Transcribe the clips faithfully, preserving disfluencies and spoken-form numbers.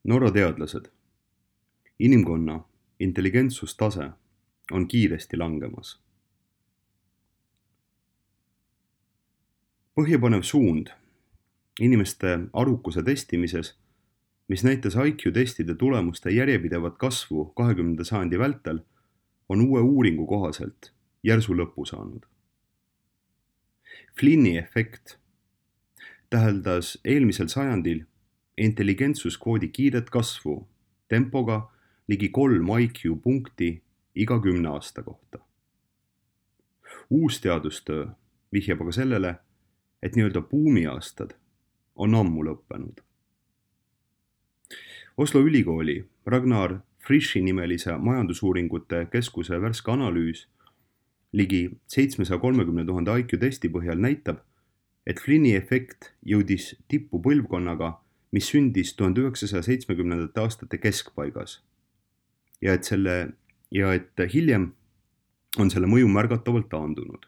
Norra teadlased. Inimkonna intelligentsustase on kiiresti langemas. Põhjapanev suund inimeste arukuse testimises, mis näitas I Q testide tulemuste järjepidevat kasvu kahekümnenda sajandi vältel, on uue uuringu kohaselt järsu lõpu saanud. Flinni efekt täheldas eelmisel sajandil intelligentsuskvoodi kiiret kasvu tempoga ligi kolm I Q punkti iga kümne aasta kohta. Uus teadustöö vihjab aga sellele, et nii-öelda buumiaastad on ammu lõppenud. Oslo ülikooli Ragnar Frisch'i nimelise majandusuuringute keskuse värske analüüs ligi seitsmesaja kolmekümne tuhande I Q testi põhjal näitab, et Flinni efekt jõudis tippu põlvkonnaga, mis sündis tuhande üheksasaja seitsmekümnendate aastate keskpaigas ja et, selle, ja et hiljem on selle mõju märgatavalt taandunud.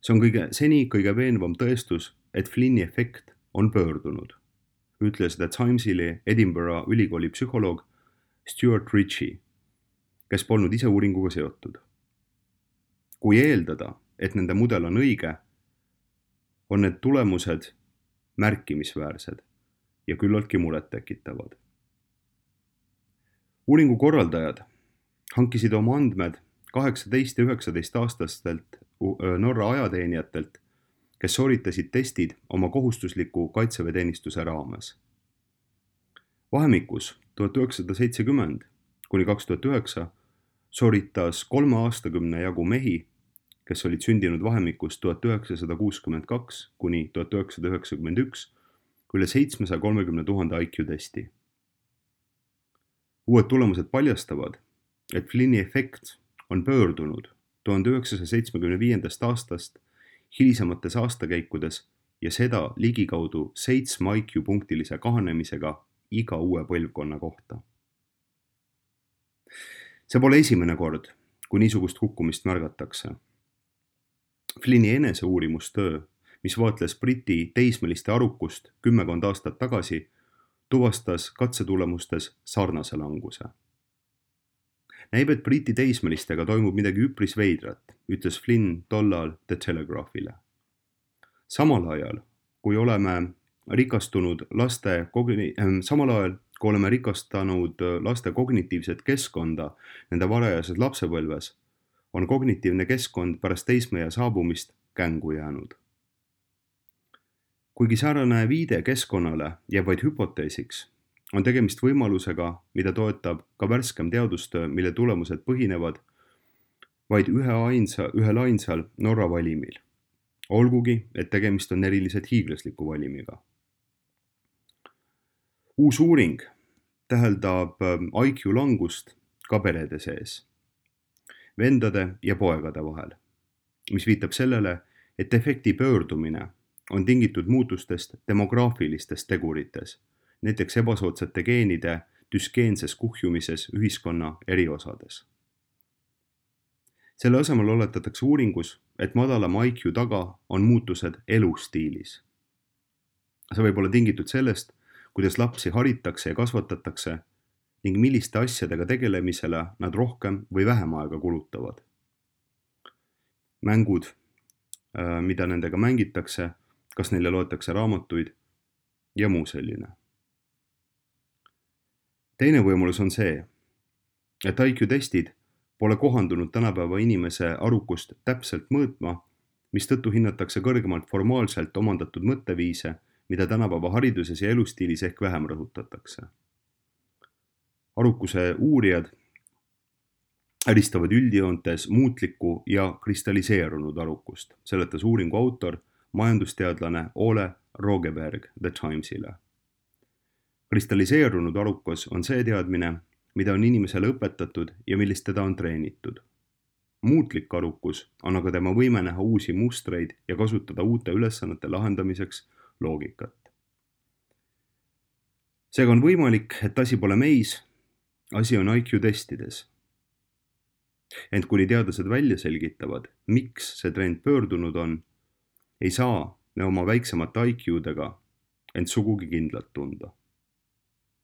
See on kõige, seni kõige veenvam tõestus, et Flinni efekt on pöördunud, ütles The Timesile Edinburgh ülikooli psühholoog Stuart Ritchie, kes polnud ise uuringuga seotud. Kui eeldada, et nende mudel on õige, on need tulemused märkimisväärsed ja küllaltki muret tekitavad. Uuringu korraldajad hankisid oma andmed kaheksateist ja üheksateist aastastelt Norra ajateenijatelt, kes sooritasid testid oma kohustusliku kaitseväeteenistuse raames. Vahemikus tuhat üheksasada seitsekümmend kuni kaks tuhat üheksa sooritas kolme aastakümne jagu mehi, kes olid sündinud vahemikus tuhat üheksasada kuuskümmend kaks kuni tuhat üheksasada üheksakümmend üks, üle seitsmesaja kolmekümne tuhande I Q testi. Uued tulemused paljastavad, et Flinni efekt on pöördunud tuhande üheksasaja seitsmekümne viiendast aastast hilisemates aastakäikudes ja seda ligikaudu seitsme I Q punktilise kahanemisega iga uue põlvkonna kohta. See pole esimene kord, kui niisugust kukkumist märgatakse. Flinni eneseuurimustöö, mis vaatles Briti teismeliste arukust kümmekond aastat tagasi, tuvastas katsetulemustes sarnase languse. Näib, et Briti teismelistega toimub midagi üpris veidrat, ütles Flynn tollal The Telegraphile. Samal ajal, kui oleme rikastunud laste, kogni- äh, samal ajal, kui oleme rikastanud laste kognitiivset keskkonda nende varajases lapsepõlves, on kognitiivne keskkond pärast teismeea saabumist kängu jäänud. Kuigi säärane viide keskkonnale jääb vaid hüpoteesiks, on tegemist võimalusega, mida toetab ka värskem teadustöö, mille tulemused põhinevad vaid ühe ainsa, ühel ainsal Norra valimil. Olgugi, et tegemist on eriliselt hiiglasliku valimiga. Uus uuring täheldab I Q langust ka perede sees, vendade ja poegade vahel, mis viitab sellele, et efekti pöördumine on tingitud muutustest demograafilistes tegurites, näiteks ebasoodsate geenide düskeenses kuhjumises ühiskonna eri osades. Selle asemel oletatakse uuringus, et madalama I Q taga on muutused elustiilis. See võib olla tingitud sellest, kuidas lapsi haritakse ja kasvatatakse ning milliste asjadega tegelemisele nad rohkem või vähem aega kulutavad. Mängud, mida nendega mängitakse, kas neile loetakse raamatuid ja muu selline. Teine võimalus on see, et I Q testid pole kohandunud tänapäeva inimese arukust täpselt mõõtma, mistõttu hinnatakse kõrgemalt formaalselt omandatud mõtteviise, mida tänapäeva hariduses ja elustiilis ehk vähem rõhutatakse. Arukuse uurijad äristavad üldjoontes muutlikku ja kristalliseerunud arukust, seletas uuringu autor, majandusteadlane Ole Rogeberg The Timesile. Kristalliseerunud arukus on see teadmine, mida on inimesele õpetatud ja millist teda on treenitud. Muutlik arukus on aga tema võime näha uusi mustreid ja kasutada uute ülesannete lahendamiseks loogikat. Seega on võimalik, et asi pole meis, asi on I Q testides. Ent kuni teadlased välja selgitavad, miks see trend pöördunud on, ei saa me oma väiksemate I Q-dega ent sugugi kindlalt tunda.